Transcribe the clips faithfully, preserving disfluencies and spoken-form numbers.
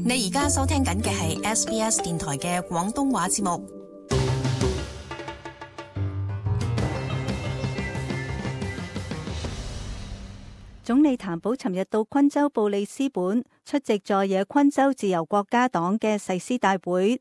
你而家收聽緊嘅係 S B S 電台嘅廣東話節目。總理譚寶尋日到昆州布里斯本出席在野昆州自由國家黨嘅誓師大會。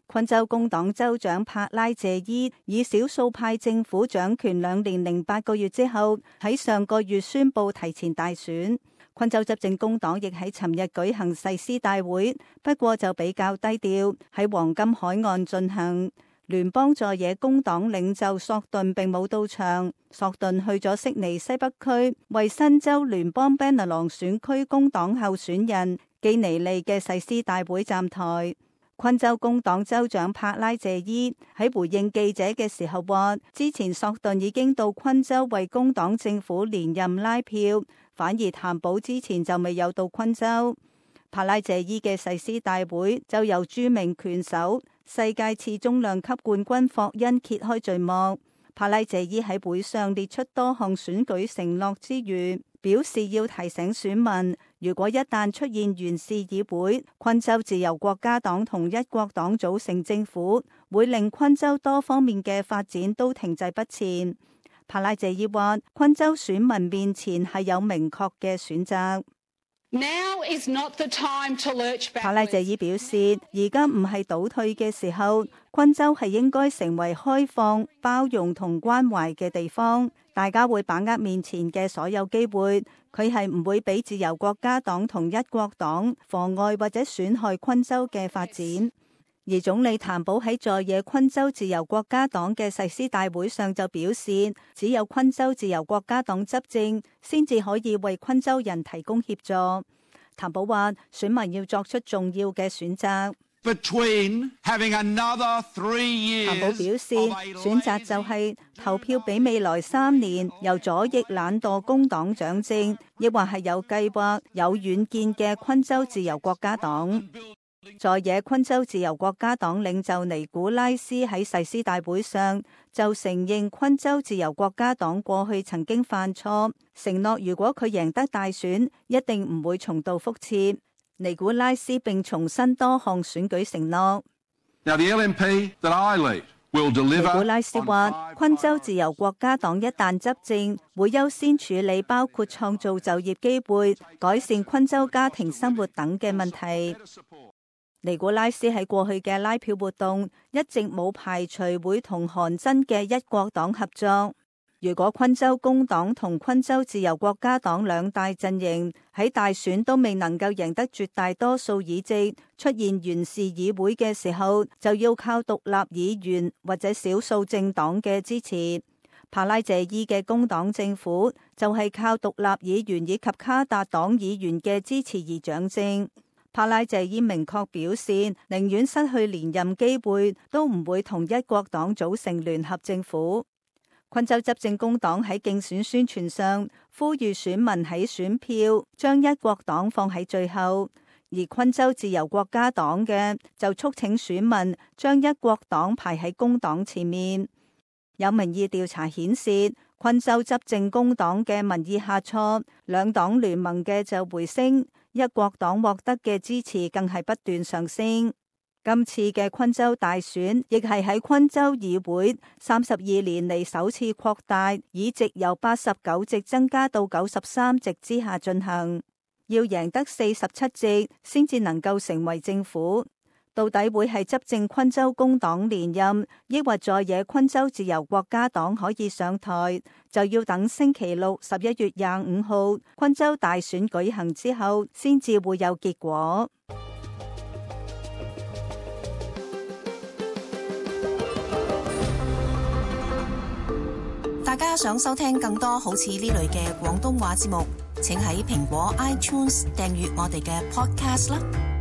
昆州工黨州長帕拉謝伊以少數派政府掌權兩年零八個月之後，喺上個月宣布提前大選。昆州執政工黨亦喺尋日舉行誓師大會，不過就比較低調，喺黃金海岸進行。聯邦在野工黨領袖索頓並冇到場，索頓去咗悉尼西北區為新州聯邦 Bennelong 選區工黨候選人基尼利嘅誓師大會站台。昆州工黨州長帕拉謝伊喺回應記者嘅時候話，之前索頓已經到昆州為工黨政府連任拉票，反而譚寶之前就未有到昆州。帕拉謝伊嘅誓師大會就由著名拳手世界次重量級冠軍霍恩揭開序幕。帕拉謝伊喺會上列出多項選舉承諾之餘，表示要提醒選民，如果一旦出現懸峙議會，昆州自由國家黨同一國黨組成政府，會令昆州多方面嘅發展都停滯不前。帕拉謝伊話，昆州選民面前係有明確嘅選擇。Now is not the time to lurch back. 帕拉謝伊表示，而家唔係倒退嘅時候，昆州係應該成為開放、包容同關懷嘅地方，大家會把握面前嘅所有機會，佢係唔會俾自由國家黨同一國黨妨礙或者損害昆州嘅發展。而總理譚寶喺在野昆州自由國家黨嘅誓師大會上就表示，只有昆州自由國家黨執政，先至可以為昆州人提供協助。譚寶話，選民要作出重要嘅選擇。Between having another three years， 譚寶表示，選擇就係投票俾未來三年由左翼懶惰工黨掌政，亦或係有計劃、有遠見嘅昆州自由國家黨。在野昆州自由國家黨領袖尼古拉斯喺誓師大會上就承認昆州自由國家黨過去曾經犯錯，承諾如果佢贏得大選，一定唔會重蹈覆轍。尼古拉斯並重申多項選舉承諾。Now the L N P that I lead will deliver。尼古拉斯話，昆州自由國家黨一旦執政，會優先處理包括創造就業機會、改善昆州家庭生活等嘅問題。尼古拉斯喺過去嘅拉票活動一直冇排除會同韓真嘅一國黨合作。如果昆州工黨同昆州自由國家黨兩大陣營喺大選都未能夠贏得絕大多數議席，出現懸峙議會嘅時候，就要靠獨立議員或者少數政黨嘅支持。帕拉謝伊嘅工黨政府就係靠獨立議員以及卡達黨議員嘅支持而掌政。帕拉謝伊明確表示，寧願失去連任機會，都唔會同一國黨組成聯合政府。昆州執政工黨喺競選宣傳上呼籲選民喺選票將一國黨放喺最後，而昆州自由國家黨嘅就促請選民將一國黨排喺工黨前面。有民意調查顯示，昆州執政工黨嘅民意下挫，兩黨聯盟嘅就回升，一國黨獲得嘅支持更係不斷上升。今次嘅昆州大選亦係喺昆州議會三十二年嚟首次擴大，議席由八十九席增加到九十三席之下進行，要贏得四十七席先至能夠成為政府。到底會係執政昆州工黨連任，抑或在野昆州自由國家黨可以上台，就要等星期六十一月廿五號昆州大選舉行之後先至會有結果。大家想收聽更多好似呢類嘅廣東話節目，請喺蘋果 iTunes 訂閱我哋嘅 podcast 啦。